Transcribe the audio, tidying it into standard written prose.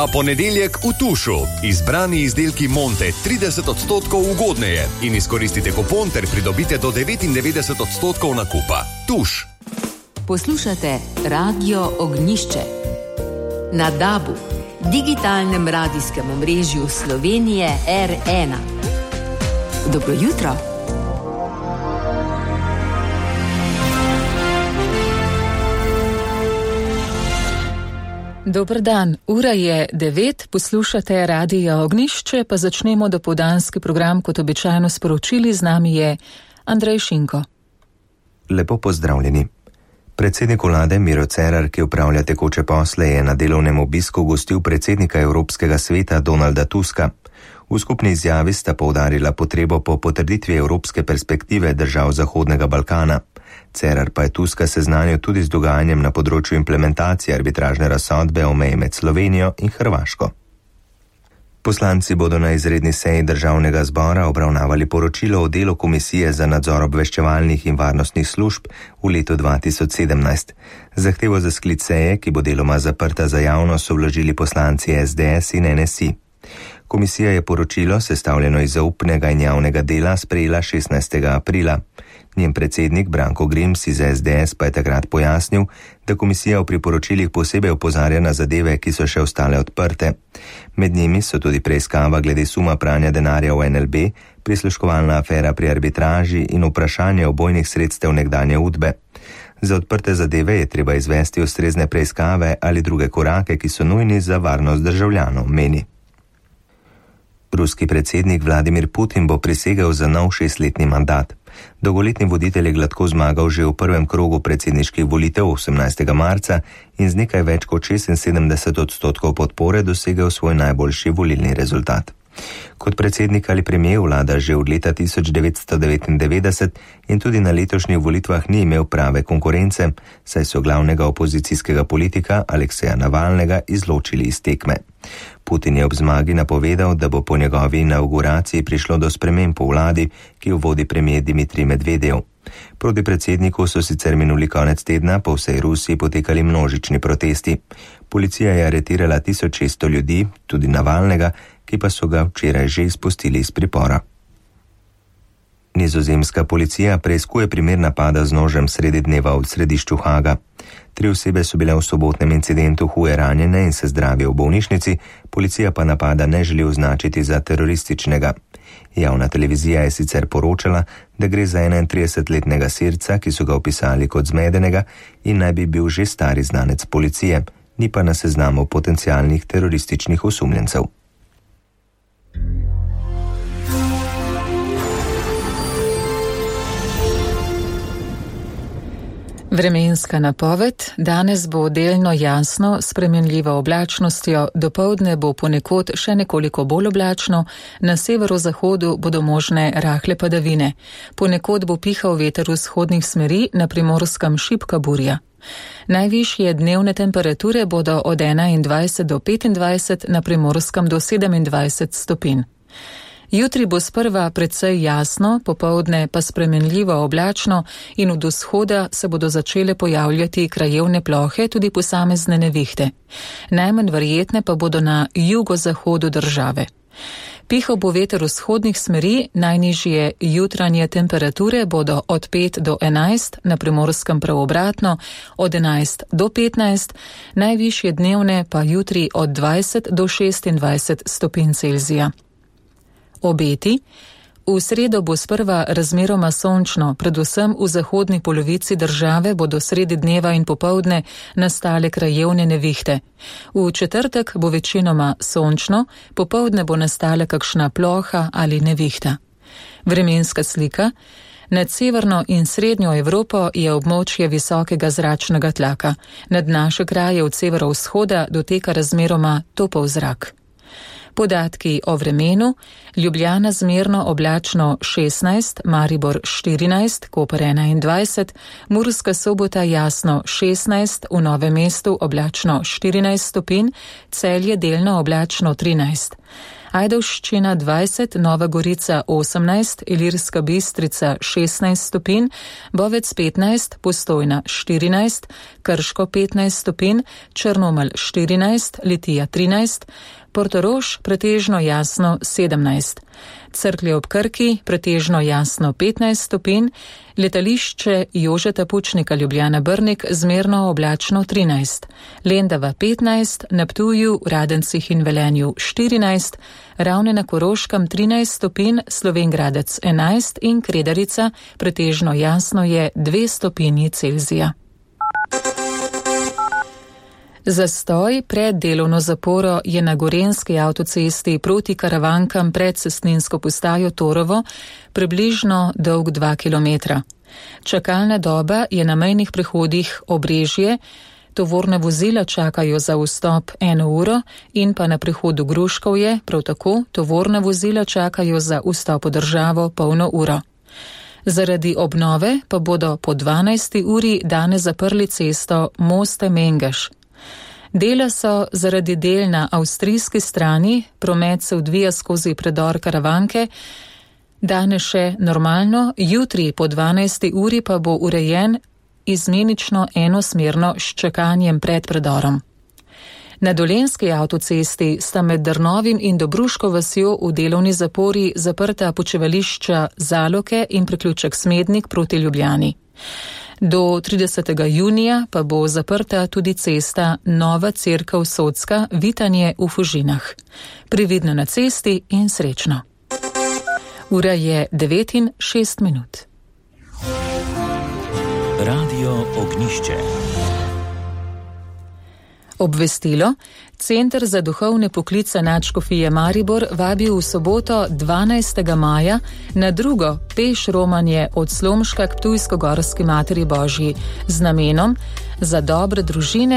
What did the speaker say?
Ta ponedeljek v Tušu. Izbrani izdelki Monte 30% ugodneje in izkoristite kupon ter pridobite do 99% nakupa. Tuš. Poslušate Radio Ognjišče. Na DAB-u, digitalnem radijskem omrežju Slovenije R1. Dobro jutro. Dober dan, ura je 9, poslušate Radio Ognjišče, pa začnemo dopoldanski program kot običajno sporočili. Z nami je Andrej Šinko. Lepo pozdravljeni. Predsednik vlade Miro Cerar, ki upravlja tekoče posle, je na delovnem obisku gostil predsednika Evropskega sveta Donalda Tuska. V skupni izjavi sta poudarila potrebo po potrditvi evropske perspektive držav Zahodnega Balkana. Cerar pa je Tuska seznanil tudi z dogajanjem na področju implementacije arbitražne razsodbe o meji med Slovenijo in Hrvaško. Poslanci bodo na izredni seji Državnega zbora obravnavali poročilo o delu Komisije za nadzor obveščevalnih in varnostnih služb v letu 2017. Zahtevo za sklic seje, ki bo deloma zaprta za javnost, so vložili poslanci SDS in NSI. Komisija je poročilo, sestavljeno iz zaupnega in javnega dela, sprejela 16. aprila. Njen predsednik Branko Grims iz SDS pa je takrat pojasnil, da komisija v priporočilih posebej opozarja na zadeve, ki so še ostale odprte. Med njimi so tudi preiskava glede suma pranja denarja v NLB, prisluškovalna afera pri arbitraži in vprašanje obojnih sredstev nekdanje Udbe. Za odprte zadeve je treba izvesti ustrezne preiskave ali druge korake, ki so nujni za varnost državljanov, meni. Ruski predsednik Vladimir Putin bo prisegel za nov 6-letni mandat. Dolgoletni voditelj je gladko zmagal že v prvem krogu predsedniških volitev 18. marca in z nekaj več kot 76% podpore dosegel svoj najboljši volilni rezultat. Kot predsednik ali premijer vlada že od leta 1999 in tudi na letošnjih volitvah ni imel prave konkurence, saj so glavnega opozicijskega politika Alekseja Navalnega izločili iz tekme. Putin je ob zmagi napovedal, da bo po njegovi inauguraciji prišlo do sprememb v vladi, ki jo vodi premijer Dimitrij Medvedev. Proti predsedniku so sicer minuli konec tedna po vsej Rusiji potekali množični protesti. Policija je aretirala 1600 ljudi, tudi Navalnega, ki pa so ga včeraj že izpustili iz pripora. Nizozemska policija preiskuje primer napada z nožem sredi dneva v središču Haga. 3 osebe so bile v sobotnem incidentu huje ranjene in se zdravijo v bolnišnici, policija pa napada ne želi označiti za terorističnega. Javna televizija je sicer poročala, da gre za 31-letnega Sirca, ki so ga opisali kot zmedenega in naj bi bil že stari znanec policije, ni pa na seznamu potencialnih terorističnih osumljencev. Vremenska napoved. Danes bo delno jasno, s spremenljivo oblačnostjo, dopoldne bo ponekod še nekoliko bolj oblačno, na severozahodu bodo možne rahle padavine. Ponekod bo pihal veter vzhodnih smeri, na Primorskem šibka burja. Najvišje dnevne temperature bodo od 21 do 25, na Primorskem do 27 stopinj. Jutri bo sprva precej jasno, popoldne pa spremenljivo oblačno in od vzhoda se bodo začele pojavljati krajevne plohe, tudi posamezne nevihte. Najmanj verjetne pa bodo na jugozahodu države. Pihal bo veter vzhodnih smeri, najnižje jutranje temperature bodo od 5 do 11, na Primorskem prav obratno, od 11 do 15, najvišje dnevne pa jutri od 20 do 26 stopinj Celzija. Obeti. V sredo bo sprva razmeroma sončno, predvsem v zahodni polovici države bodo sredi dneva in popoldne nastale krajevne nevihte. V četrtek bo večinoma sončno, popoldne bo nastala kakšna ploha ali nevihta. Vremenska slika. Nad severno in srednjo Evropo je območje visokega zračnega tlaka. Nad naše kraje od severovzhoda doteka razmeroma topel zrak. Podatki o vremenu. Ljubljana zmerno oblačno 16, Maribor 14, Koper 21, Murska Sobota jasno 16, v Novem mestu oblačno 14 stopinj, Celje delno oblačno 13. Ajdovščina 20, Nova Gorica 18, Ilirska Bistrica 16 stopinj, Bovec 15, Postojna 14, Krško 15 stopinj, Črnomelj 14, Litija 13, Portorož pretežno jasno 17, Cerklje ob Krki pretežno jasno 15 stopinj, letališče Jožeta Pučnika Ljubljana Brnik zmerno oblačno 13, Lendava 15, na Ptuju, Radencih in Velenju 14, Ravne na Koroškem 13 stopinj, Slovenj Gradec 11 in Kredarica pretežno jasno je 2 stopinji Celzija. Zastoj pred delovno zaporo je na Gorenjski avtocesti proti Karavankam pred cestninsko postajo Torovo približno dolg 2 km. Čakalna doba je na mejnih prehodih Obrežje, tovorna vozila čakajo za vstop 1 uro in pa na prehodu Gruškovje, prav tako tovorna vozila čakajo za vstop v državo polno uro. Zaradi obnove pa bodo po 12. uri danes zaprli cesto Moste-Mengeš. Dela so zaradi del na avstrijski strani, promet se odvija skozi predor Karavanke, danes še normalno, jutri po 12. uri pa bo urejen izmenično enosmerno s čakanjem pred predorom. Na Dolenjski avtocesti sta med Drnovim in Dobruško vasjo v delovni zapori zaprta počivališča Zaloke in priključek Smednik proti Ljubljani. Do 30. junija pa bo zaprta tudi cesta Nova Cerkev Sodska, Vitanje v Fužinah. Previdno na cesti in srečno. Ura je 9:06. Radio Ognišče. Obvestilo. Center za duhovne poklice Nadškofije Maribor vabi v soboto 12. maja na drugo peš romanje od Slomška k Ptujsko-Gorski Materi Božji z namenom za dobre družine